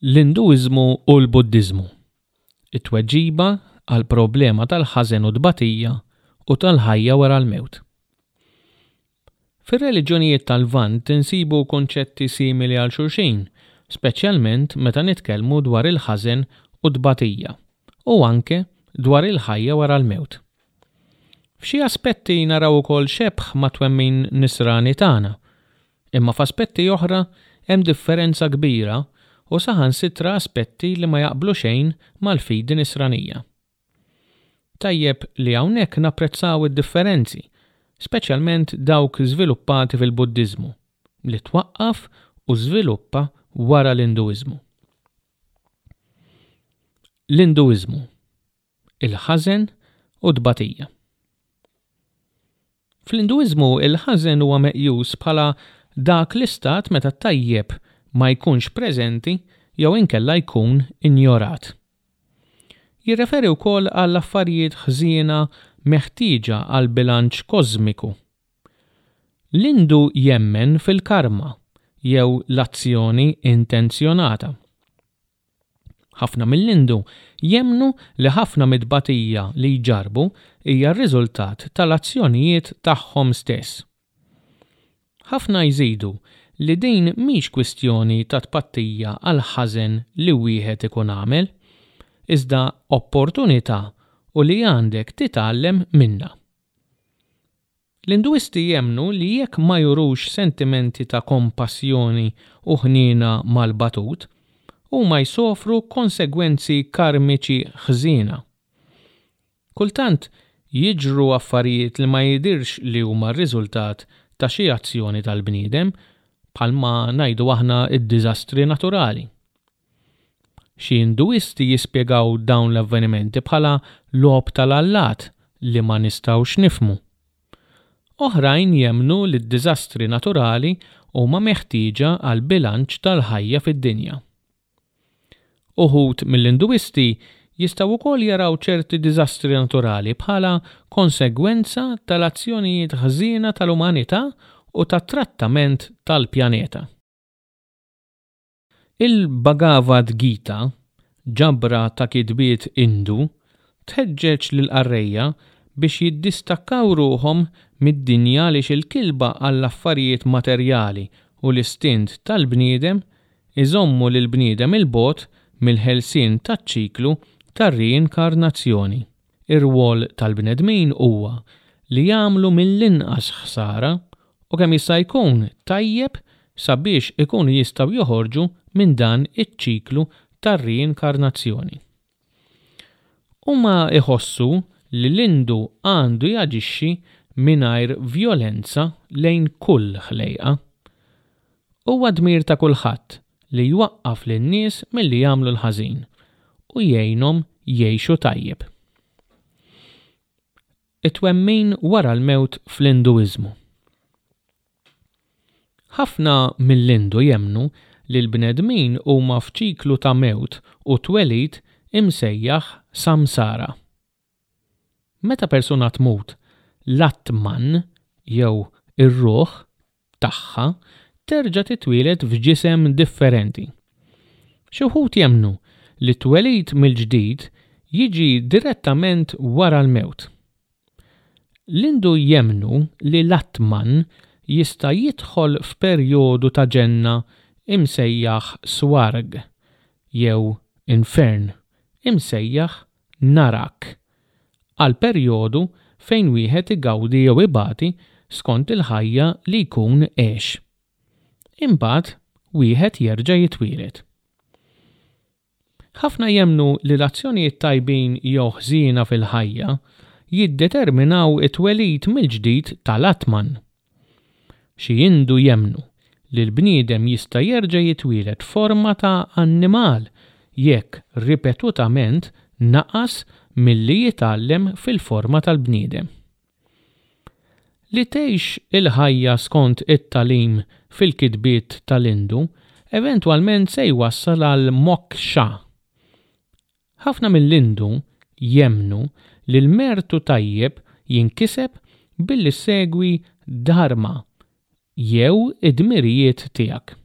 L-Induiżmu u l-Buddiżmu, it-tweġiba għall-problema tal-ħażen u t-tbatija u tal-ħajja wara l-mewt. Fir-reliġjonijiet tal-Lvant insibu kunċetti simili għal xulxin, speċjalment meta nitkellmu dwar il-ħażen u t-tbatija, u anke dwar il-ħajja wara l-mewt. F'xi aspetti naraw ukoll xebh mat-twemmin Nisrani tagħna, Imma f'aspetti oħra hemm differenza kbira u saħansitra aspetti li ma jaqblu xejn mal-fidi Nisranija. Tajjeb li hawnhekk napprezzaw id-differenzi, speċjalment dawk żviluppati fil-Buddiżmu, li twaqqaf u żviluppa wara l-Induiżmu. L-Induiżmu. il-ħażen u t-tbatija. Fl-Induiżmu il-ħażen huwa meqjus bħala dak l-istat meta t-tajjeb ma jkunx preżenti jew inkella jkun injorat. Jirreferi wkoll għal affarijiet ħżiena meħtieġa għall-bilanċ kożmiku. L-Indu jemmen fil-karma jew l-azzjoni intenzjonata. Ħafna mill-Indu jemmnu li ħafna mit-tbatija li jġarrbu hija r-riżultat tal-azzjonijiet tagħhom stess. Ħafna jżidu li din mhix kwistjoni ta' tpattija għall-ħażen li wieħed ikun għamel, iżda opportunità u li għandek titgħallem minnha. L-Induisti jemmnu li jekk ma jurux sentimenti ta' kompassjoni u ħniena mal-batut, huma jsofru konsegwenzi karmiċi ħżiena. Kultant jiġru affarijiet li ma jidhirx li huma r-riżultat ta' xi azzjoni tal-bniedem, bħalma ngħidu aħna d-diżastri naturali. Xi Induisti jispjegaw dawn l-avvenimenti bħala logħob tal-allat li ma nistgħux nifhmu. Oħrajn jemmnu li d-diżastri naturali huma meħtieġa għall-bilanċ tal-ħajja fid-dinja. Uħud mill-Induisti jistgħu wkoll jaraw ċerti diżastri naturali bħala konsegwenza tal-azzjonijiet ħżiena tal-umanità u tat-trattament tal-pjaneta. Il-Bhagavad Gita, ġabra ta' kitbiet Indu, tħeġġeġ lill-qarrejja biex jiddistakkaw ruħhom mid-dinja għaliex il-kilba għall-affarijiet materjali u l-istint tal-bniedem iżommu lill-bniedem 'il bogħod mill-ħelsien taċ-ċiklu tar-riinkarnazzjoni. Ir-rwol tal-bnedmin huwa li jagħmlu mill-inqas ħsara u kemm jista' jkun tajjeb sabiex ikunu jistgħu joħorġu minn dan iċ-ċiklu tar-riinkarnazzjoni. Huma jħossu li l-Indu għandu jaġixxi mingħajr vjolenza lejn kull ħlejqa. Huwa dmir ta' kulħadd li jwaqqaf lin-nies milli jagħmlu l-ħażin u jgħinhom jgħixu tajjeb. It-twemmin wara l-mewt fl-Induiżmu. Ħafna mill-Indu jemmnu li l-bnedmin huma f'ċiklu ta' mewt u twelid imsejjaħ samsara. Meta persuna tmut, l-atman, jew ir-ruħ, tagħha terġa' titwieled f'ġisem differenti. Xi wħud jemmnu li t-twelid mill-ġdid jiġi direttament wara l-mewt. L-Indu jemmnu li l-Atman jista' jidħol f'perjodu ta' ġenna imsejjaħ Swarg jew infern imsejjaħ Narak, għal perjodu fejn wieħed igawdi jew ibati skont il-ħajja li jkun għex. Imbagħad wieħed jerġa' jitwieled. Ħafna jemmnu li l-azzjonijiet tajbin jew ħżiena fil-ħajja jiddeterminaw it-twelid mill-ġdid tal-Atman. Xi Hindu jemmnu li l-bniedem jista' jerġa' jitwieled f'forma ta' annimal jekk ripetutament naqas milli jitgħallem fil-forma tal-bniedem. Li tgħix il-ħajja skont it-tagħlim fil-kitbiet tal-Hindu eventwalment se jwassal għal moksha. Ħafna mill-Hindu jemmnu li l-mertu tajjeb jinkiseb billi ssegwi dharma jew id-dmirijiet tiegħek.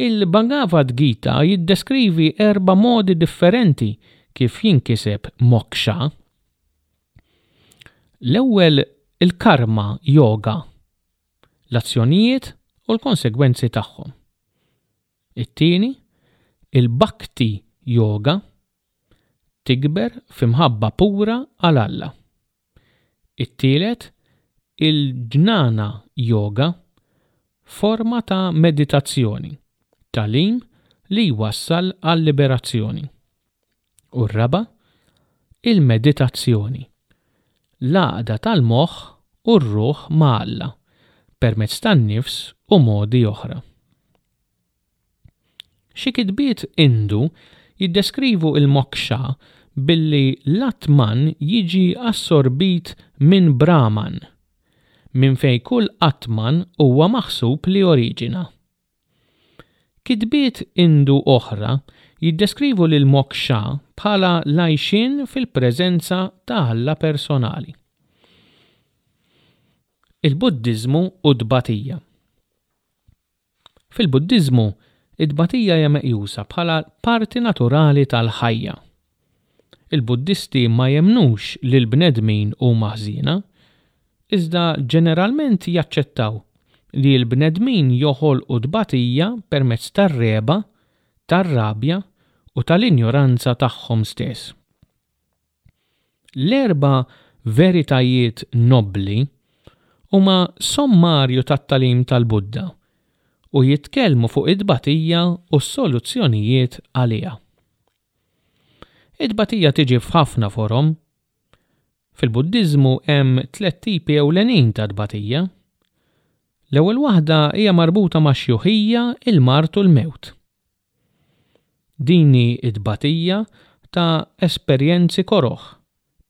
Il-Bhagavad Gita jiddeskrivi erba' modi differenti kif jinkiseb moksha. L-ewwel il-karma yoga, l-azzjonijiet u l-konsegwenzi tagħhom. It-tieni, il-bhakti yoga, tikber f'imħabba pura għal Alla. It-tielet, il-jnana yoga, forma ta' meditazzjoni, tagħlim li jwassal għal-liberazzjoni. U r-raba', il-meditazzjoni, l-għaqda tal-moħħ u r-ruħ ma' Alla permezz tan-nifs u modi oħra. Xi kitbiet Indu jiddeskrivu l-moksha billi l-Atman jiġi assorbit minn Brahman, minn fejn kull Atman huwa maħsub li oriġina. Kitbiet Indu oħra jiddeskrivu lil moksha bħala l-għajxien fil-preżenza ta' Alla personali. Il-Buddiżmu u t-tbatija. Fil-Buddiżmu, it-tbatija hija meqjusa bħala parti naturali tal-ħajja. Il-Buddisti ma jemmnux li l-bnedmin huma ħżiena, iżda ġeneralment jaċċettaw li l-bnedmin joħolqu tbatija permezz tar-regħba, tar-rabja u tal-injoranza tagħhom stess. L-erba' veritajiet nobbli huma sommarju tat-tagħlim tal-Buddha u jitkellmu fuq it-tbatija u s-soluzzjonijiet għaliha. It-tbatija tiġi f'ħafna forom. Fil-Buddiżmu hemm tlett tipi ewlenin ta' tbatija. L-ewwel waħda hija marbuta max-xjuħija, il-mard u l-mewt. Din hi t-tbatija ta' esperjenzi koroh,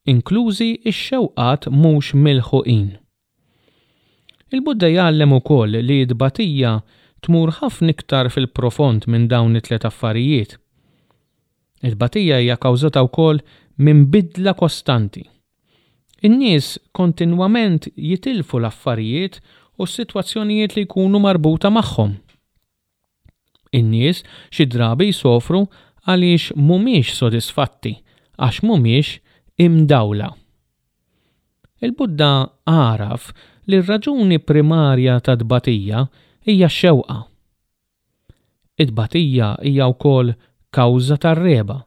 inklużi x-xewqat mhux milħuqin. Il-Buddha jgħallem ukoll li t-tbatija tmur ħafna iktar fil-profond minn dawn it-tliet affarijiet. It-tbatija hija kawżata wkoll minn bidla kostanti. In-nies kontinwament jitilfu l-affarijiet u s-sitwazzjonijiet li jkunu marbuta magħhom. In-nies xi drabi jsofru għaliex mhumiex sodisfatti għax mhumiex imdawla. Il-Buddha għaraf li r-raġuni primarja tat-tbatija hija x-xewqa. It-tbatija hija wkoll kawża tar-regħba,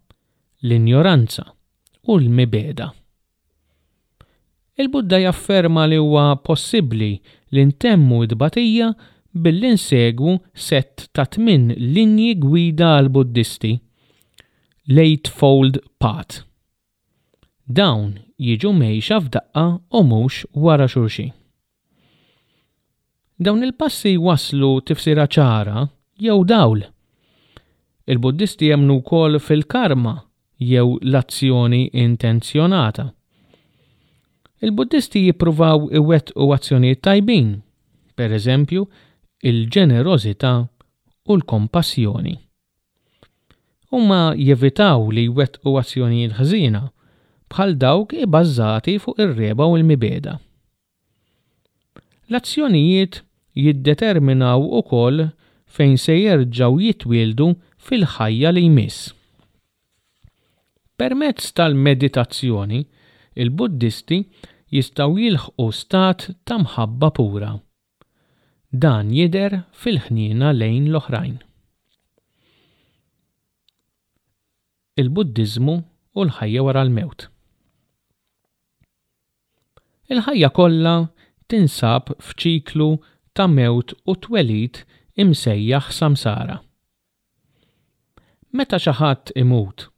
l-injoranza u l-mibegħda. Il-Buddha jafferma li huwa possibbli li ntemmu t-tbatija billi nsegwu sett ta' tminn linji gwida għall-Buddisti, l-Eightfold Path. Dawn jiġu mgħejxa f'daqqa u mhux wara xulxin. Dawn il-passi jwasslu tifsira ċara jew dawl. Il-Buddisti jemmnu wkoll fil-karma jew l-azzjoni intenzjonata. Il-Buddisti jippruvaw iwettqu azzjonijiet tajbin, per eżempju, il-ġenerożità u l-kompassjoni. Huma jevitaw li jwettqu azzjonijiet ħżiena, bħal dawk ibbażati fuq ir-regħba u l-mibegħda. L-azzjonijiet jiddeterminaw ukoll fejn se jerġgħu jitwieldu fil-ħajja li jmiss. Permezz tal-meditazzjoni, il-Buddisti jistgħu jilħqu stat ta' mħabba pura. Dan jidher fil-ħniena lejn l-oħrajn. Il-Buddiżmu u l-ħajja wara l-mewt. Il-ħajja kollha tinsab f'ċiklu ta' mewt u twelid imsejjaħ samsara. Meta xi ħadd imut,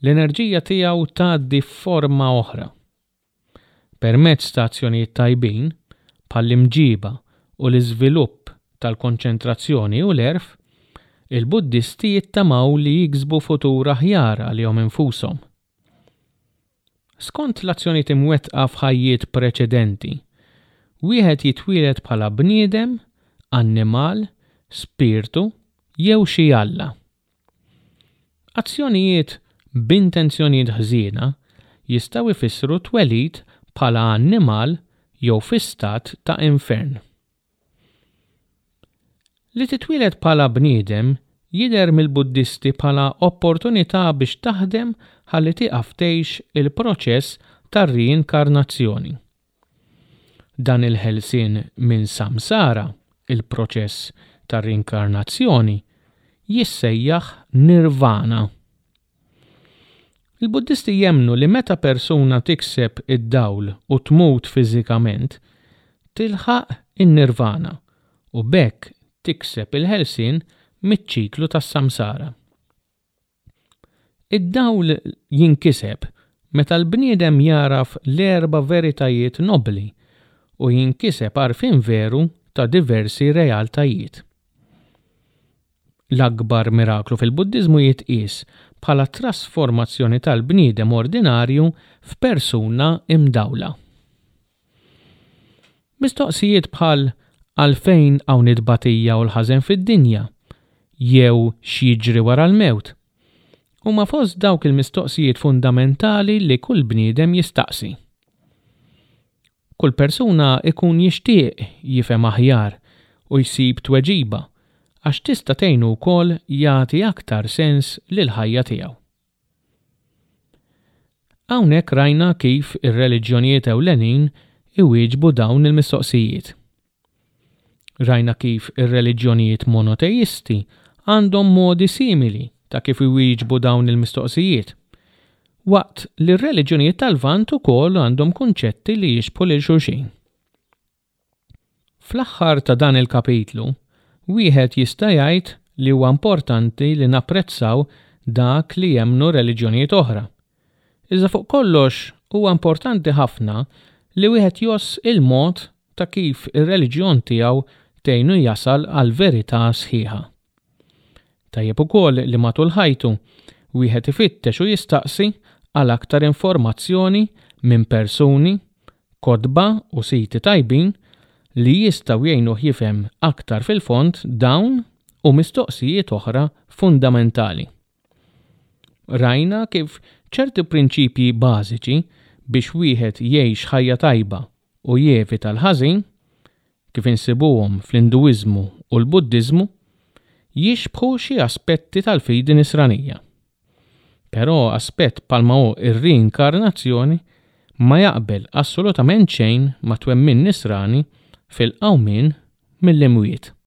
l-enerġija tiegħu tgħaddi f'forma oħra. Permezz ta' azzjonijiet tajbin, bħall-imġiba u l-iżvilupp tal-konċentrazzjoni u l-għerf, il-Buddisti jittamaw li jiksbu futur aħjar għalihom infushom. Skont l-azzjonijiet imwettqa f'ħajjiet preċedenti, wieħed jitwieled bħala bniedem, annimal, spirtu jew xi alla. Azzjonijiet b'intenzjonijiet ħżiena jistgħu jfissru twelid bħala annimal jew fi stat ta' infern. Li titwieled bħala bniedem jidher mill-Buddisti bħala opportunità biex taħdem ħalli tieqaf tgħix il-proċess tar-riinkarnazzjoni. Dan il-ħelsien minn samsara, il-proċess tar-riinkarnazzjoni, jissejjaħ nirvana. Il-Buddisti jemmnu li meta persuna tikseb id-dawl u tmut fiżikament, tilħaq in-nirvana u b'hekk tikseb il-ħelsien miċ-ċiklu tas-samsara. Id-dawl jinkiseb meta l-bniedem jagħraf l-erba' veritajiet nobbli u jinkiseb għarfien veru ta' diversi realtajiet. L-akbar miraklu fil-Buddiżmu jitqies bħala t-trasformazzjoni tal-bniedem ordinarju f'persuna imdawla. Mistoqsijiet bħal għalfejn hawn it-tbatija u l-ħażen fid-dinja jew x'jiġri wara l-mewt huma fost dawk il-mistoqsijiet fundamentali li kull bniedem jistaqsi. Kull persuna jkun jixtieq jifhem aħjar u jsib tweġiba għax tista' tgħinu wkoll jagħti aktar sens lill-ħajja tiegħu. Hawnhekk rajna kif ir-reliġjonijiet ewlenin iwieġbu dawn il-mistoqsijiet. Rajna kif ir-reliġjonijiet monoteisti għandhom modi simili ta' kif iwieġbu dawn il-mistoqsijiet, waqt li r-reliġjonijiet tal-Lvant ukoll għandhom kunċetti li jixbħu lil xulxin. Fl-aħħar ta' dan il-kapitlu, wieħed jista' jgħid li huwa importanti li napprezzaw dak li jemmnu reliġjonijiet oħra. Iżda fuq kollox huwa importanti ħafna li wieħed jgħożż il-mod ta' kif ir-reliġjon tiegħu tgħinu jasal għall-verità sħiħa. Tajjeb ukoll li matul ħajtu wieħed ifittex u jistaqsi għal aktar informazzjoni minn persuni, kotba u siti tajbin li jistgħu jgħinuh jifhem aktar fil-fond dawn u mistoqsijiet oħra fundamentali. Rajna kif ċerti prinċipji bażiċi biex wieħed jgħix ħajja tajba u jevita l-ħażin, kif insibuhom fl-Induiżmu u l-Buddiżmu, jixbħu xi aspetti tal-fidi Nisranija. Però aspett bħalma hu r-riinkarnazzjoni ma jaqbel assolutament xejn mat-twemmin Nisrani fil-qawmien mill-imwiet.